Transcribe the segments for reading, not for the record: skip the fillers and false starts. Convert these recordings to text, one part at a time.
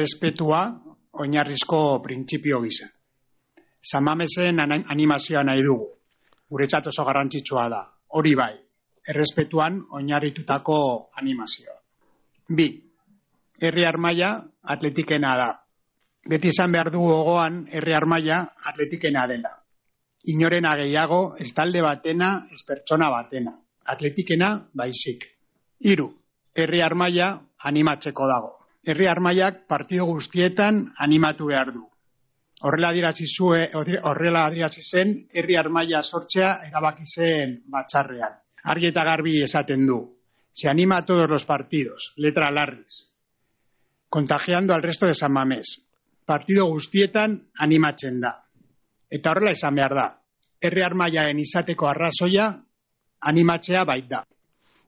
errespetua oinarrizko printzipio gisa. San Mamesen animazioa nahi dugu. Guretzat oso garrantzitsua da. Hori bai, errespetuan oinarritutako animazioa. 2. Herri Armaia atletikena da. Beti izan behar dugu gogoan Herri Armaia atletikena dela. Inorena gehiago, ez talde batena, ez pertsona batena. Atletikena baizik. 3. Herri Armaia animatzeko dago. Herri Armaiak partido guztietan animatu behar du. Horrela adierazi zen Herri Armaia sortzea erabaki zen batzarrean. Argi eta garbi esaten du. Se anima a todos los partidos, letra larriz. Contagiando al resto de San Mamés. Partido guztietan animatzen da. Eta horrela izan behar da. Herri Armaiaren izateko arrazoia animatzea baita.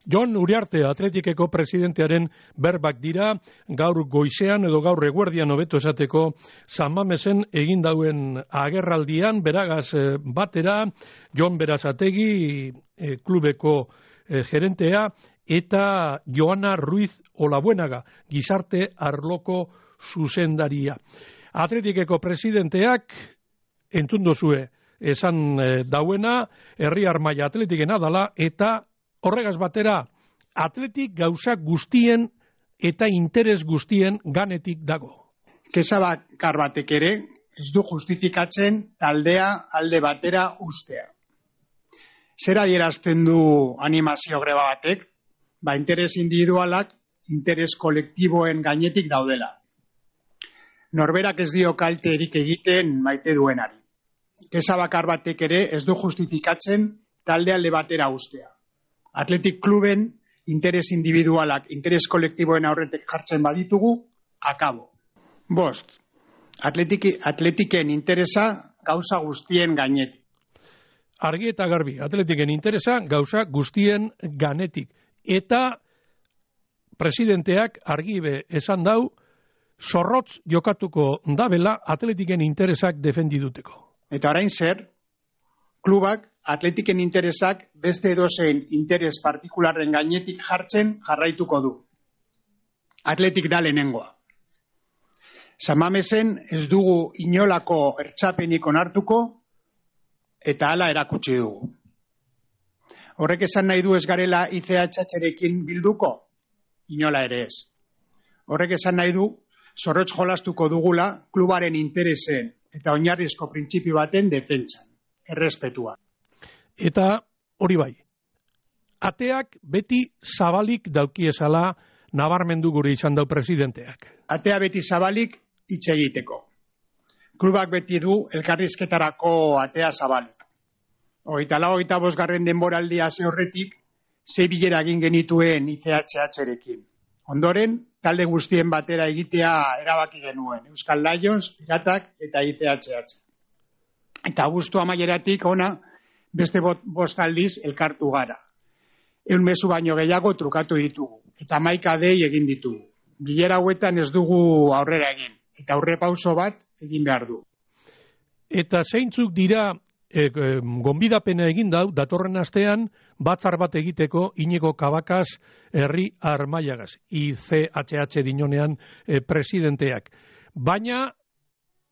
Jon Uriarte Atletikeko presidentearen berbak dira gaur goizean edo gaur eguerdian hobeto esateko San Mamesen egin dauen agerraldian beragaz batera Jon Berazategi klubeko gerentea eta Joana Ruiz Olabuenaga gizarte arloko zuzendaria. Atletikeko presidenteak entzun duzue esan dauena Herri Armaia atletikena dala eta horregaz batera, atletik gauza guztien eta interes guztien ganetik dago. Kesa bakar batek ere, ez du justifikatzen taldea alde batera ustea. Zer adierazten du animazio greba batek? Interes individualak, interes kolektiboen gainetik daudela. Norberak ez dio kalterik egiten maite duenari. Kesa bakar batek ere, ez du justifikatzen talde alde batera ustea. Atletik kluben interes individualak, interes kolektiboen aurretek jartzen baditugu, akabo. 5. Atletiken interesa gauza guztien gainetik. Argi eta garbi, atletiken interesa gauza guztien ganetik. Eta presidenteak argibe esan dau, zorrotz jokatuko dabela atletiken interesak defendiduteko. Eta orain zer, klubak atletiken interesak beste edozein interes partikularren gainetik jartzen jarraituko du. Atletik da lehenengoa. San Mamesen ez dugu inolako ertzapenik onartuko eta hala erakutsi dugu. Horrek esan nahi du ez garela ICHHrekin bilduko? Inola ere ez. Horrek esan nahi du zorrotz jolastuko dugula klubaren interesen eta oinarrizko printzipio baten defentsan, errespetua. Eta hori bai, ateak beti zabalik daukiezala nabarmendu gure izan dau presidenteak. Atea beti zabalik hitz egiteko. Klubak beti du elkarrizketarako atea zabalik. 24. denboraldia horretik, 6 bilera egin genituen ICHHrekin. Ondoren, talde guztien batera egitea erabaki genuen, Euskal Lions, Piratak eta ICHH. Eta abuztu amaieratik ona, beste 5 aldiz elkartu gara. 100 mezu baino gehiago trukatu ditugu, eta 11 dei egin ditugu. Bilera hauetan ez dugu aurrera egin, eta aurrepauso bat egin behar du. Eta zeintzuk dira gonbidapena egin dau, datorren astean, batzar bat egiteko Iñigo Cabacas Herri Armaiagaz, ICHH dinonean presidenteak. Baina,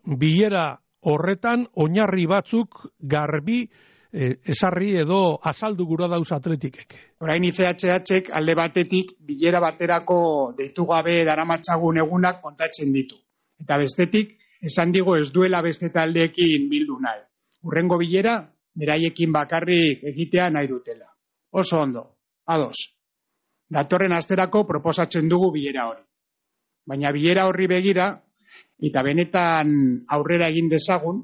bilera horretan, oinarri batzuk garbi esarri edo azaldu gura dauz atletikek. Orain ICHHek alde batetik bilera baterako deitu gabe daramatzagun egunak kontatzen ditu. Eta bestetik, esan digo ez duela beste taldeekin bildu nahi. Hurrengo bilera, beraiekin bakarrik egitea nahi dutela. Oso ondo, ados. Datorren asterako proposatzen dugu bilera hori. Baina bilera horri begira, eta benetan aurrera egin dezagun,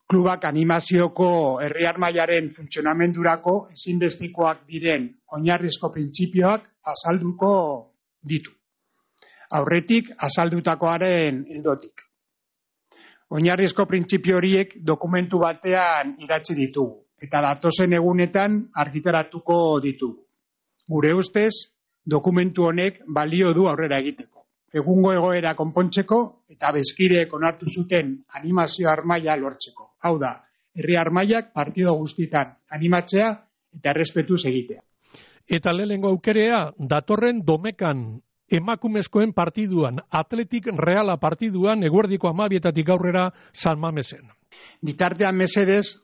klubak animazioko Herri Armaiaren funtzionamendurako ezinbestekoak diren oinarrizko printzipioak azalduko ditu. Aurretik azaldutakoaren ildotik. Oinarrizko printzipio horiek dokumentu batean idatzi ditugu, eta datozen egunetan argitaratuko ditugu. Gure ustez, dokumentu honek balio du aurrera egiteko. Egungo egoera konpontzeko eta bezkideek onartu zuten animazio armaia lortzeko. Hau da, Herri Armaiak partido guztitan animatzea eta errespetuz egitea. Eta lehenengo aukerea, datorren Domekan emakumezkoen partiduan, Atletik Reala partiduan, eguerdiko 12:00 aurrera San Mamesen. Bitartean mesedez,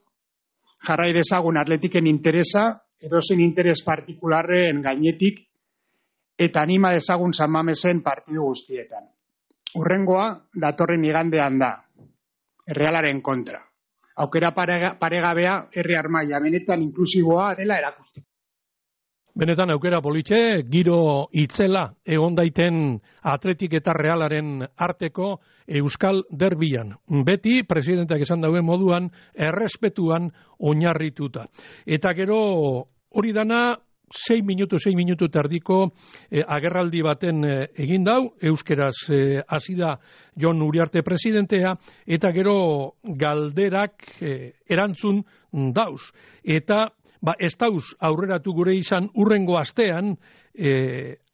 jarrai dezagun Atletiken interesa, edozein interes partikularren gainetik, eta anima dezagun San Mamesen partidu guztietan. Hurrengoa, datorren igandean da, Realaren kontra. Aukera paregabea herri armaia, benetan inklusiboa dela erakusteko. Benetan aukera politxe, giro itzela egon daiten Atletik eta Realaren arteko Euskal Derbian. Beti, presidenteak esan dauen moduan, errespetuan oinarrituta. Eta gero hori dana 6 minutu tardiko agerraldi baten egin dau, euskeraz hasi da Jon Uriarte presidentea, eta gero galderak erantzun dauz. Eta ez dauz aurreratu gure izan urrengo astean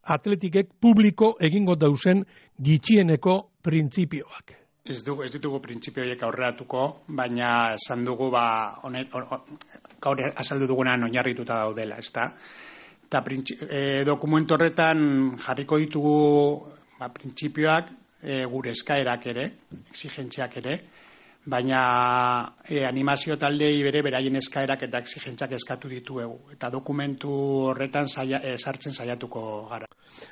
Atletikek publiko egingo dauzen gitxieneko printzipioak. Ez ditugu printzipio horiek aurreratuko, baina esan dugu gaur azaldu dugunan oinarrituta daudela, ezta? Eta dokumentu horretan jarriko ditugu printzipioak, gure eskaerak ere, exigentziak ere, baina animazio taldei beraien eskaerak eta exigentziak eskatu dituegu. Eta dokumentu horretan sartzen saiatuko gara.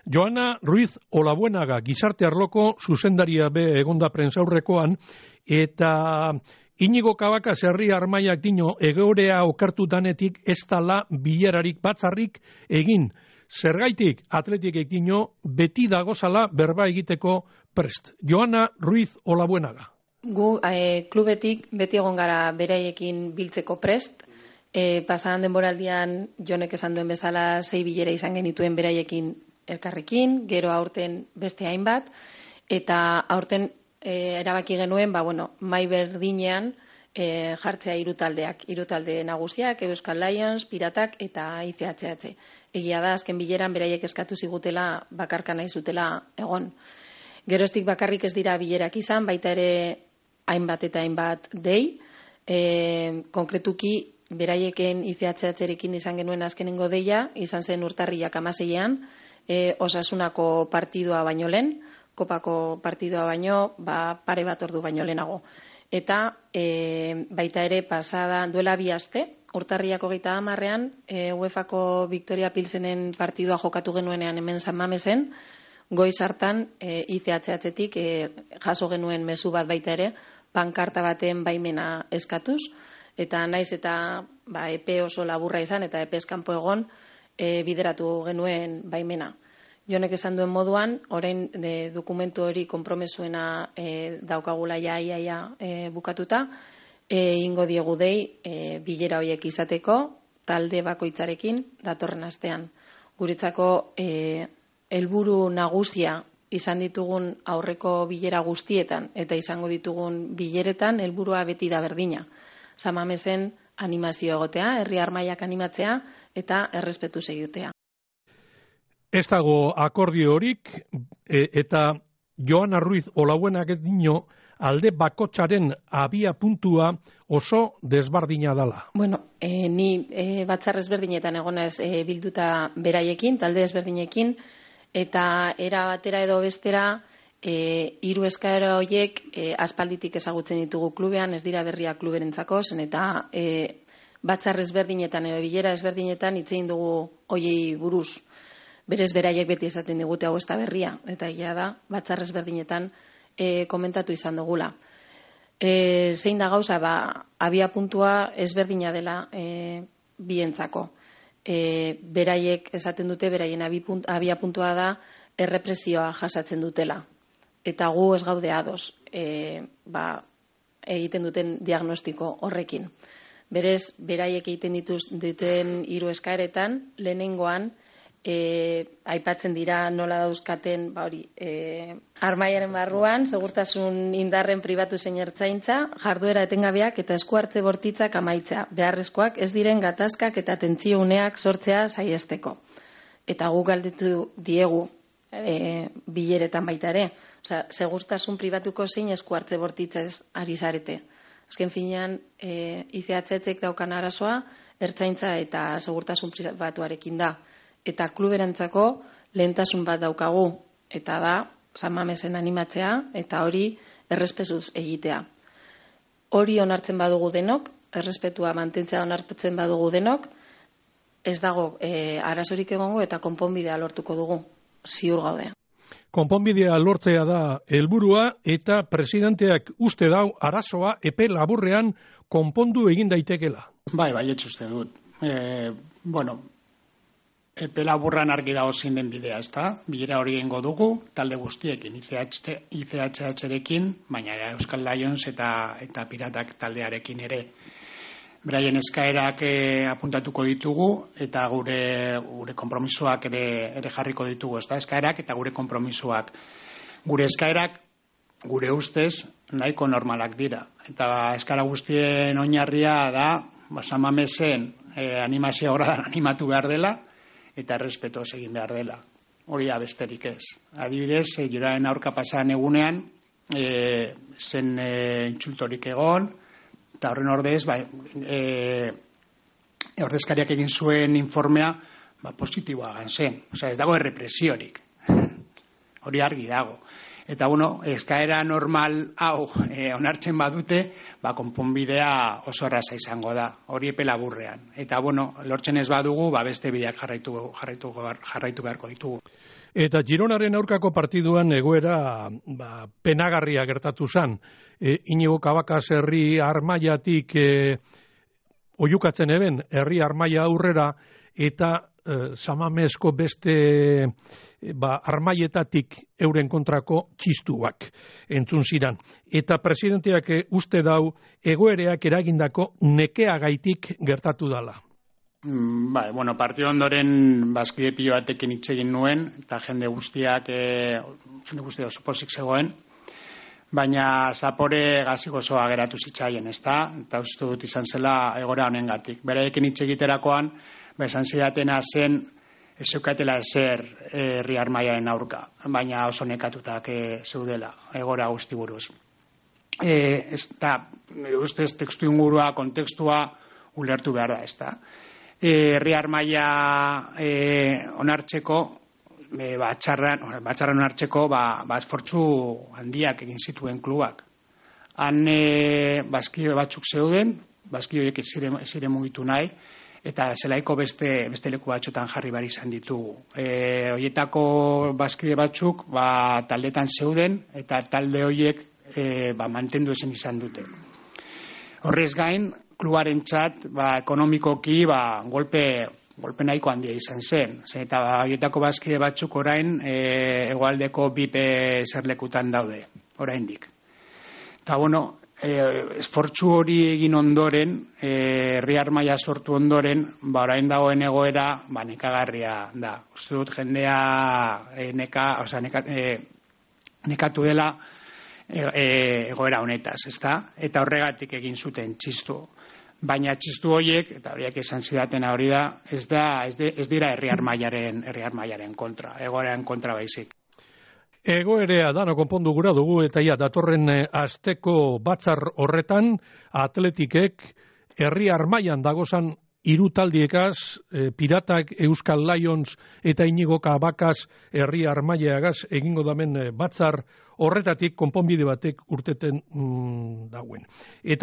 Joana Ruiz Olabuenaga, gizarte arloko zuzendaria be egonda prentsaurrekoan, eta Inigo Kabaka herri armaiak dino egorea okertu danetik ez dala bilerarik batzarrik egin. Zergaitik Atletikek dino beti dagozala berba egiteko prest. Joana Ruiz Olabuenaga. Gu klubetik beti egon gara beraiekin biltzeko prest. Pasadan denboraldian Jonek esan duen bezala 6 bilera izan genituen beraiekin elkarrekin, gero aurten beste hainbat, eta aurten erabaki genuen, mai berdinean jartzea 3 taldeak, 3 talde nagusiak, Euskal Lions, Piratak eta ICHH. Egia da, azken bileran beraiek eskatu zigutela bakarka nahi zutela egon. Geroztik bakarrik ez dira bilerak izan, baita ere hainbat eta hainbat dei. Konkretuki, beraieken ICHH-rekin izan genuen azkenengo deia, izan zen urtarriak 16ean, Osasunako partidua baino lehen, Kopako partidua baino, pare bat ordu baino lehenago. Eta baita ere pasada duela 2 aste, urtarriak 30ean, UEFako Victoria Pilsenen partidua jokatu genuenean hemen San Mamesen, goiz hartan ICHH-tik jaso genuen mezu bat baita ere, pankarta baten baimena eskatuz, eta naiz eta epe oso laburra izan eta epez kanpo egon bideratu genuen baimena. Jonek esan duen moduan, orain dokumentu hori konpromesuena daukagula iaia bukatuta, ingo diegu dei bilera horiek izateko, talde bakoitzarekin datorren astean. Guretzako helburu nagusia izan ditugun aurreko bilera guztietan eta izango ditugun bileretan helburua beti da berdina. San Mamesen animazio egotea, herri armaiak animatzea eta errespetuz egitea. Ez dago akordio horik, eta Joana Ruiz Olabuenak dino alde bakotsaren abia puntua oso desbardina dala. Ni batzar ezberdinetan egonez bilduta beraiekin, talde ezberdinekin, eta era batera edo bestera 3 eskaera horiek aspalditik ezagutzen ditugu klubean, ez dira berria kluberentzako, zen eta batzar ezberdinetan edo bilera ezberdinetan hitz egin dugu hoiei buruz. Berez beraiek beti esaten digute hau ez da berria, eta egia da, batzar ezberdinetan komentatu izan dugula. Zein da gauza, abia puntua ezberdina dela bientzako. Beraiek esaten dute, beraien abia puntua da errepresioa jasatzen dutela. Eta gu ez gaude ados egiten duten diagnostiko horrekin. Berez, beraiek egiten duten 3 eskaeretan, lehenengoan, aipatzen dira nola dauzkaten armaiaren barruan, segurtasun indarren pribatu zein ertzaintza, jarduera etengabeak eta esku hartze bortitzak amaitzea, beharrezkoak ez diren gatazkak eta tentsio uneak sortzea saiesteko. Eta guk galdetu diegu bileretan baita ere, segurtasun pribatuko zein esku hartze bortitzez ari zarete. Azken finean, ICHK daukan arazoa, ertzaintza eta segurtasun pribatuarekin da. Eta kluberantzako lehentasun bat daukagu, eta da San Mamesen animatzea eta hori errespetuz egitea. Hori onartzen badugu denok, errespetua mantentzea onartzen badugu denok, ez dago arazorik egongo eta konponbidea lortuko dugu, ziur gaude. Konponbidea lortzea da helburua eta presidenteak uste dau arazoa epe laburrean konpondu egin daitekela. Bai, uste dut. Epe laburran argi dago zein den bidea, ezta? Bilera hori egingo dugu, talde guztiekin, ICHH-rekin, baina Euskal Lions eta Piratak taldearekin ere. Beraien eskaerak apuntatuko ditugu eta gure konpromisoak ere jarriko ditugu, ezta? Eskaerak eta gure konpromisoak. Gure eskaerak, gure ustez, nahiko normalak dira. Eta eskaera guztien oinarria da, San Mamesen animazio gradan animatu behar dela, eta errespetoz egin behar dela. Hori da besterik ez. Adibidez, Juraren aurka pasan egunean, zen intsultorik egon, eta horren ordez, ordezkariak egin zuen informea, positiboa gan zen. Ez dago errepresiorik. Hori argi dago. Eta, eskaera normal hau onartzen badute, konponbidea oso erraza izango da. Hori epe laburrean. Eta, lortzen ez badugu, beste bideak jarraitu beharko ditugu. Eta Gironaren aurkako partiduan egoera penagarria gertatu zen. Inigo Cabacas herri armaiatik oiukatzen eben, herri armaia aurrera, eta Samamesko beste armaietatik euren kontrako txistuak entzun ziran. Eta presidenteak uste dau egoereak eragindako nekeagaitik gertatu dala. Partidu ondoren bazkide pilo batekin hitz egin nuen, eta jende guztiak oso pozik zegoen, baina zapore gazik osoa geratu zitzaien, ezta? Eta uste dut izan zela egora honengatik. Beraiekin hitz egiterakoan, esan zidatena zen ez zeukatela ezer herri armaiaren aurka, baina oso nekatutak zeudela, egora guzti buruz. Ustez tekstu ingurua, kontekstua ulertu behar da, ezta? Herri armaia onartzeko, batxarran onartzeko, esfortzu handiak egin zituen klubak. Han bazkide batzuk zeuden, bazkide horiek ez ziren mugitu nahi, eta zelaiko beste leku batzutan jarri behar izan ditugu. Horietako bazkide batzuk taldetan zeuden, eta talde horiek mantendu ezin izan dute. Horrez gain, klubaren txat, ekonomikoki, golpe nahiko handia izan zen. Eta horietako bazkide batzuk orain, hegoaldeko BIP zerlekutan daude, oraindik. Eta, esfortzu hori egin ondoren, herri armaia sortu ondoren, orain dagoen egoera, nekagarria da. Uste dut jendea nekatu dela egoera honetaz, ezta? Eta horregatik egin zuten txistu. Baina txistu horiek, eta horiek esan zidatena hori da, ez dira herri armaiaren kontra, egoeraren kontra baizik. Egoerea dano konpondu gura dugu eta datorren asteko batzar horretan atletikek herri armaian dagozan hiru taldiekaz, Piratak, Euskal Lions eta Inigo Cabacas herri armaiagaz egingo damen batzar horretatik konponbide batek urteten dauen. Eta